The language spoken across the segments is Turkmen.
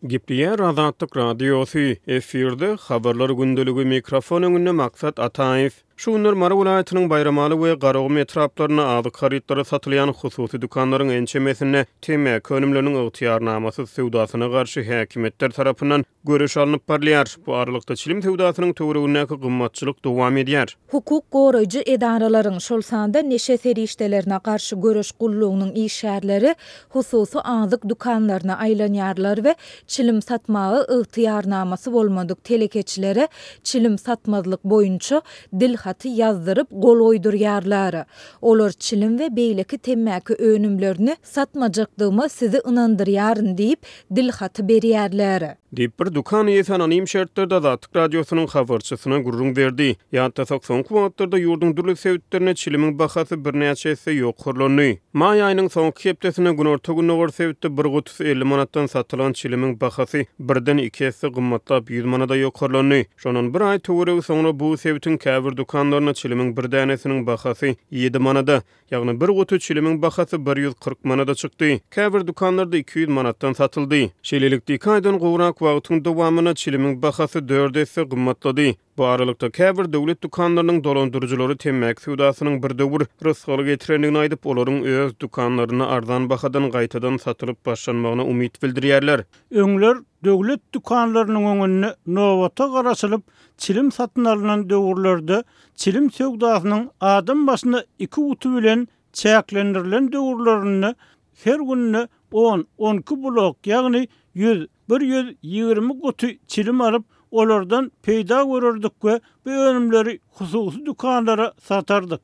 Gepleýär Azatlyk Radiosy, efirde Habarlar gündeligi, mikrofon öňünde Maksat Ataýew. Şu günler Mary welaýatynyň Baýramaly we Garagum etraplarynda azyk harytlary satylýan hususy dükanlaryň ençemesinde temmäki önümleriniň ygtyýarnamasyz söwdasyna garşy häkimiýetler tarapyndan göreş alnyp barylýar. Bu aralykda çilim söwdasynyň töweregindäki gymmatçylyk dowam edýär. Hukuk goraýjy edaralaryň, şol sanda neşe serişdelerine garşy göreş gullugynyň işgärleri hususy azyk dükanlaryna aýlanýarlar we çilim satmaga ygtyýarnamasy bolmadyk telekeçilere çilim satmazlyk boýunça dilhaty ýazdyryp gol goýdurýarlar. Olar çilim we beýleki temmäki önümlerini satmajakdygyma sizi ynandyrýaryn diýip, dilhaty berýärler. Diýip, bir dükan eýesi anonim şertlerde Azatlyk Radiosynyň habarçysyna gürrüň berdi. Ýatlasak, soňky wagtlarda ýurduň dürli sebitlerinde çilimiň bahasy birnäçe esse ýokarlandy. Maý aýynyň soňky hepdesinde günorta-gündogar sebitde bir gutusy 50 manatdan satylan çilimiň bahasy birden iki esse gymmatlap, 100 manada ýokarlandy. Şondan bir aý töweregi soňra bu sebitiň käbir dükanlarynda çilimiň bir dänesiniň bahasy ýedi manada, Ýagny bir guty çilimiň bahasy 140 manada çykdy. Käbir dükanlarda 200 manatdan satyldy. Şeýlelikde, iki aýdan gowrak wagtyň dowamynda çilimiň bahasy dört esse gymmatlady. Bu aralykda, käbir döwlet dükanlarynyň dolandyryjylary temmäki söwdasynyň bir döwür rysgal getirendigini aýdyp, olaryň öz dükanlarynda arzan bahadan gaýtadan satylyp başlanmagyna umyt bildirýärler. Öňler döwlet dükanlarynyň öňünde nobata garaşylyp, çilim satyn alnan döwürlerde Çilim söwdasynyň adam başyna iki guty bilen çäklendirilen döwürlerinde her günde on, on iki blok, ýagny ýüz, 120 guty çilim alyp, olardan peýda görerdik we bu önümleri hususy dükanlara satardyk.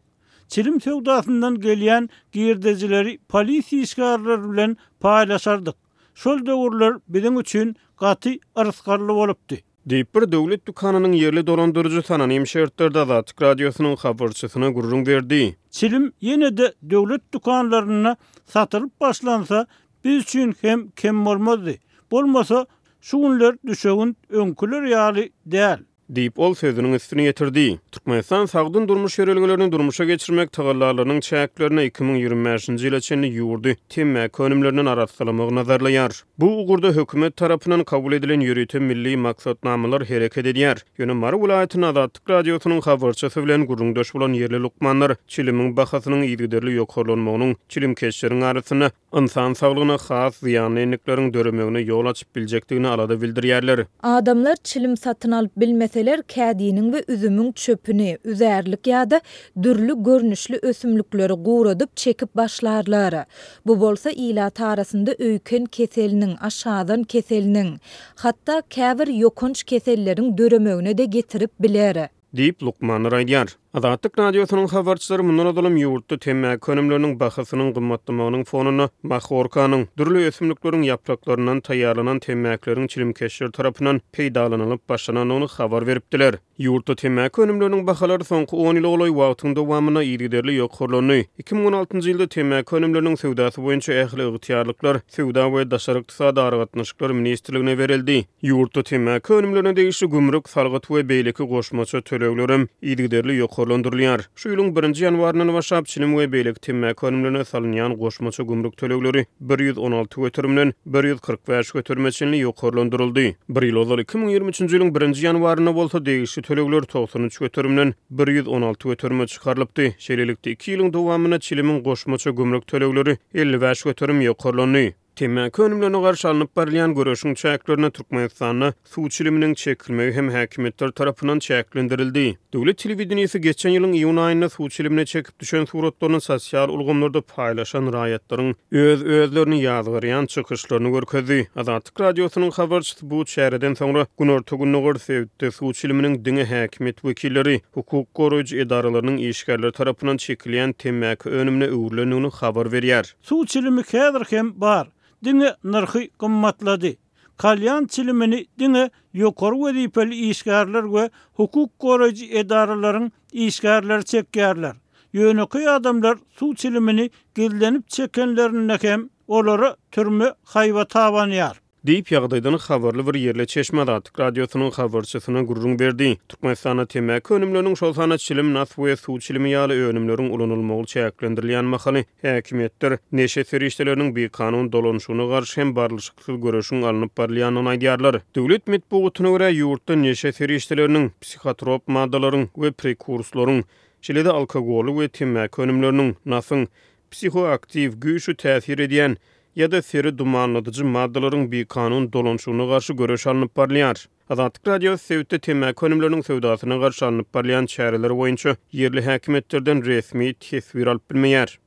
Çilim söwdasyndan gelýän girdejileri polisiýa işgärleri bilen paýlaşardyk. Şol döwürler biziň üçin gaty yrsgally bolupdy. Diýip, bir döwlet dükanynyň ýerli dolandyryjysy anonim şertlerde Azatlyk Radiosynyň habarçysyna gürrüň berdi. Çilim ýene-de döwlet dükanlarynda satylyp başlansa, biz üçin hem kem bolmazdy. Bolmasa, şu günler düşewünt öňküler ýaly däl. Diýip, ol sözüniň üstüni ýetirdi. Türkmenistan sagdyn durmuş ýörelgelerini durmuşa geçirmek tagallalarynyň çäklerinde 2025-nji ýyla çenli ýurdy temmäki önümlerinden arassalamagy nazarlaýar. Bu ugurda hökümet tarapyndan kabul edilen ýörite milli maksatnamalar hereket edýär. Ýöne Mary welaýatynda Azatlyk Radiosynyň habarçysy bilen gürrüňdeş bolan ýerli lukmanlar çilimiň bahasynyň yzygiderli ýokarlanmagynyň çilimkeşleriň arasynda ynsan saglygyna has zyýanly endikleriň döremegine ýol açyp biljekdigine alada bildirýärler. Adamlar çilim satyn alyp bilmeseler, kädiniň we üzümiň çöpüni, üzärlik ýa-da dürli görnüşli ösümlikleri guradyp çekip başlarlar. Bu bolsa ilat arasynda öýken keseliniň, aşgazan keseliniň, hatda käbir ýokanç keselleriň döremegine-de getirip biler. Diýip, lukmanlar aýdýar. Azatlyk Radiosynyň habarçylary mundan ozalam ýurtda temmäki önümleriniň bahasynyň gymmatlamagynyň fonunda mahorkanyň, dürli ösümlikleriň ýapraklaryndan taýýarlanan temmäkileriň çilimkeşler tarapyndan peýdalanylyp başlanandygyny habar beripdiler. Ýurtda temmäki önümleriniň bahalary soňky on ýyla golaý wagtyň dowamynda yzygiderli ýokarlandy. 2016-njy ýylda temmäki önümleriniň söwdasy boýunça ähli ygtyýarlyklar Söwda we daşary ykdysady aragatnaşyklar ministrligine berildi. Ýurtda temmäki önümlerine degişli gümrük, salgyt we beýleki goşmaça töleglerem yzygiderli ýokarlandyrylýar. Şu ýylyň birinji ýanwaryndan başlap çilim we beýleki temmäki önümlerine salynýan goşmaça gümrük tölegleri 116 göterimden 145 göterime çenli ýokarlandyryldy. Bir ýyl ozal, 2023-nji ýylyň birinji ýanwarynda bolsa degişli tölegler 93 göterimden 116 göterime çykarylypdy. Şeýlelikde, iki ýylyň dowamynda çilimiň goşmaça gümrük tölegleri 55 göterim ýokarlandy. Temmäki önümlerine garşy alnyp barylýan göreşiň çäklerinde Türkmenistanda suw çiliminiň çekilmegi hem häkimiýetler tarapyndan çäklendirildi. Döwlet telewideniýesi geçen ýylyň iýun aýynda suw çilimini çekip düşen suratlaryny sosial ulgamlarda paýlaşan raýatlaryň öz-özlerini ýazgarýan çykyşlaryny görkezdi. Azatlyk Radiosynyň habarçysy bu çäreden soňra günorta-gündogar sebitde suw çiliminiň diňe häkimiýet wekilleri, hukuk goraýjy edaralarynyň işgärleri tarapyndan çekilýän temmäki önümine öwrülendigini habar berýär. Suw çilimi häzir hem bar, diňe nyrhy gymmatlady. Kalýan çilimini diňe ýokary wezipeli işgärler we hukuk goraýjy edaralaryň işgärleri çekýärler. Ýönekeý adamlar suw çilimini gizlenip çekenlerinde hem olara türme haýbaty abanýar. Diýip, ýagdaýdan habarly bir ýerli çeşme Azatlyk Radiosynyň habarçysyna gürrüň berdi. Türkmenistanda temmäki önümleriniň, şol sanda çilim, nas we suw çilimi ýaly önümleriň ulanylmagy çäklendirilýän mahaly, häkimiýetler neşe serişdeleriniň bikanun dolanyşygyna garşy hem barlyşyksyz göreşiň alnyp barylýandygyny aýdýarlar. Döwlet metbugatyna görä, ýurtda neşe serişdeleriniň, psihotrop maddalaryň we prekurslaryň, şeýle-de alkogolly we temmäki önümleriniň, nasyň, psihoaktiw, güýçli täsir edýän ýa-da seri dumanladyjy maddalaryň bikanun dolanyşygyna garşy göreş alnyp barylýar. Azatlyk Radiosy sebitde temmäki önümleriniň söwdasyna garşy alnyp barylýan çäreler boýunça ýerli häkimiýetlerden resmi teswir alyp bilmeýär.